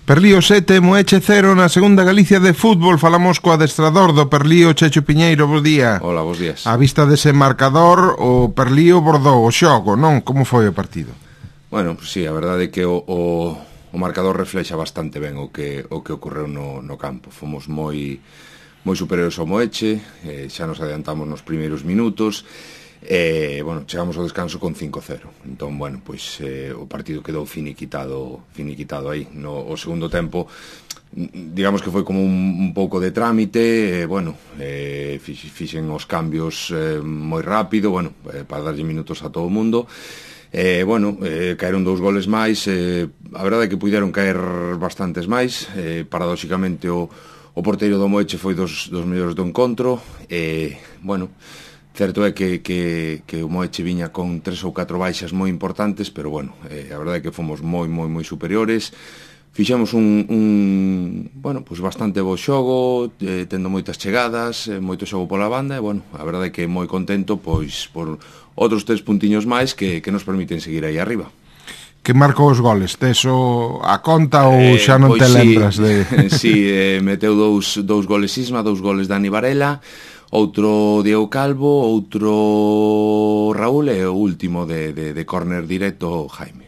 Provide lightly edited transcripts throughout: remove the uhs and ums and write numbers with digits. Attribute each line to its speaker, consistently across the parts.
Speaker 1: Perlío 7, Moeche 0 na segunda Galicia de fútbol. Falamos co adestrador do Perlío, Checho Piñeiro, bo día.
Speaker 2: Hola, bos días.
Speaker 1: A vista dese marcador, o Perlío bordou o xogo, non? Como foi o partido?
Speaker 2: Bueno, pues sí, a verdade é que o marcador reflexa bastante ben o que ocorreu no campo. Fomos moi superiores ao Moeche, xa nos adiantamos nos primeiros minutos. Bueno, chegamos ao descanso con 5-0. Entón, bueno, pois o partido quedou finiquitado aí. O segundo tempo, digamos que foi como un pouco de trámite, fixen os cambios moi rápido, para darlle minutos a todo o mundo. Caeron 2 goles máis, a verdade é que puideron caer bastantes máis. Paradóxicamente o porteiro do Moeche foi dos mellores do encontro. Certo é que o Moeche viña con 3 ou 4 baixas moi importantes, pero a verdade é que fomos moi superiores. Fixemos bastante bo xogo, tendo moitas chegadas, moito xogo pola banda, e a verdade é que moi contento pois por outros 3 puntiños máis que nos permiten seguir aí arriba.
Speaker 1: Que marcou os goles? Teso a conta ou xa non te lembras de...
Speaker 2: Sí, meteu dous goles Isma, 2 goles Dani Varela, outro Diego Calvo, outro Raúl e o último de córner directo Jaime.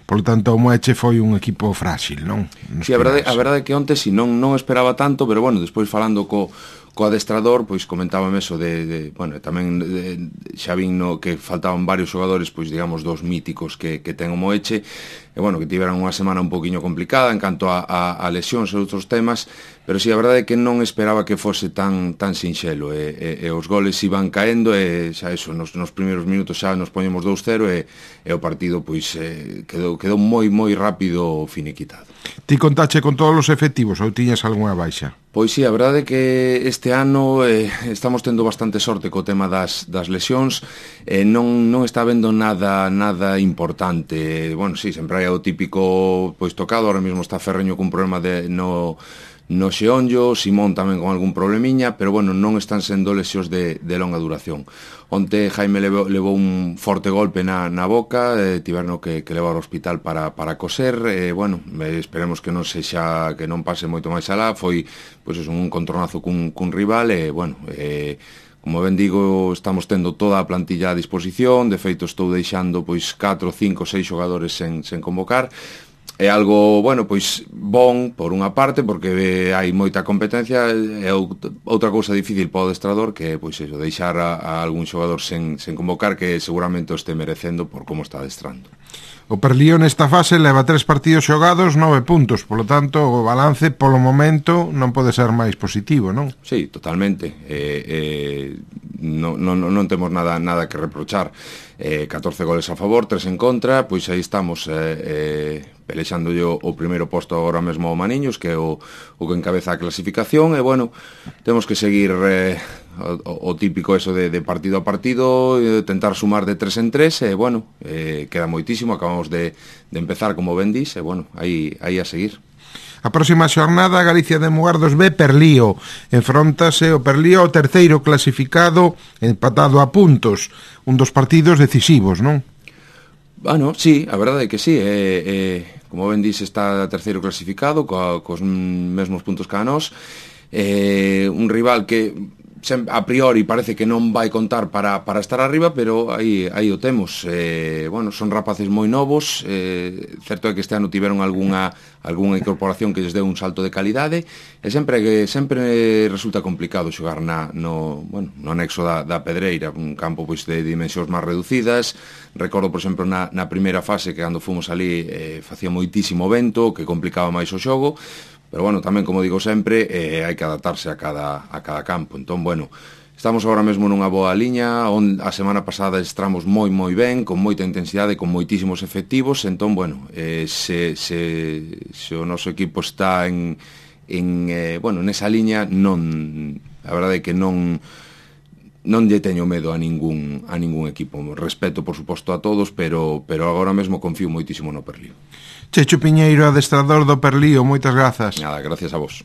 Speaker 1: Por lo tanto, o Moeche foi un equipo frágil, non?
Speaker 2: Sí, a verdade é que onte si non esperaba tanto, pero despois falando co adestrador, pois comentábame eso tamén xa vin que faltaban varios xogadores, pois digamos dos míticos que ten o Moeche, e que tiveran unha semana un poquinho complicada en canto a lesións e outros temas, pero si a verdade é que non esperaba que fose tan sinxelo, e os goles iban caendo, e xa eso, nos primeiros minutos xa nos poñemos 2-0, e o partido pois quedou moi rápido finiquitado.
Speaker 1: Ti contache con todos os efectivos ou tiñas algunha baixa?
Speaker 2: Pois sí, a verdade é que este ano estamos tendo bastante sorte co tema das lesións, non está habendo nada importante. Sí, sempre hai o típico pois tocado, ahora mesmo está Ferreño cun problema no xeonllo, Simón tamén con algún problemiña, pero non están sendo lesións de longa duración. Onte Jaime levou un forte golpe na boca, tiveron que levar ao hospital para coser, esperemos que non sexa, que non pase moito máis alá. Foi un encontronazo cun rival, como ben digo, estamos tendo toda a plantilla a disposición. De feito, estou deixando 4, 5, 6 xogadores sen convocar. É algo, bon por unha parte, porque hai moita competencia, e outra cousa difícil para o adestrador, que é, deixar a algún xogador sen convocar, que seguramente o este merecendo por como está adestrando.
Speaker 1: O Perlío nesta fase leva 3 partidos xogados, 9 puntos, polo tanto, o balance, polo momento, non pode ser máis positivo, non?
Speaker 2: Sí, totalmente. Non temos nada que reprochar. 14 goles a favor, 3 en contra, pois aí estamos pelexando o primeiro posto agora mesmo ao Maniños, que é o que encabeza a clasificación, e temos que seguir o típico eso de partido a partido, tentar sumar de 3 en 3, queda moitísimo, acabamos de empezar, como ben dis, aí a seguir.
Speaker 1: A próxima xornada, Galicia de Mugardos B, Perlío. Enfróntase o Perlío ao terceiro clasificado, empatado a puntos. Un dos partidos decisivos, non?
Speaker 2: Sí, a verdade é que sí. Como ben dis, está terceiro clasificado, cos mesmos puntos que a nós. Un rival que a priori parece que non vai contar para estar arriba, pero aí o temos. Son rapaces moi novos, certo é que este ano tiveron algunha incorporación que lles deu un salto de calidade, e sempre resulta complicado xogar no anexo da Pedreira, un campo de dimensións máis reducidas. Recordo, por exemplo, na primeira fase, que cando fomos ali facía moitísimo vento, que complicaba máis o xogo. Pero tamén, como digo sempre, hai que adaptarse a cada campo. Entón, estamos agora mesmo nunha boa liña. A semana pasada estramos moi ben, con moita intensidade, con moitísimos efectivos. Entón, se o noso equipo está nesa liña, a verdade é que non lle teño medo a ningún equipo. Respeto, por suposto, a todos, pero agora mesmo confío moitísimo no Perlío.
Speaker 1: Checho Piñeiro, adestrador do Perlío, moitas grazas.
Speaker 2: Nada, gracias a vos.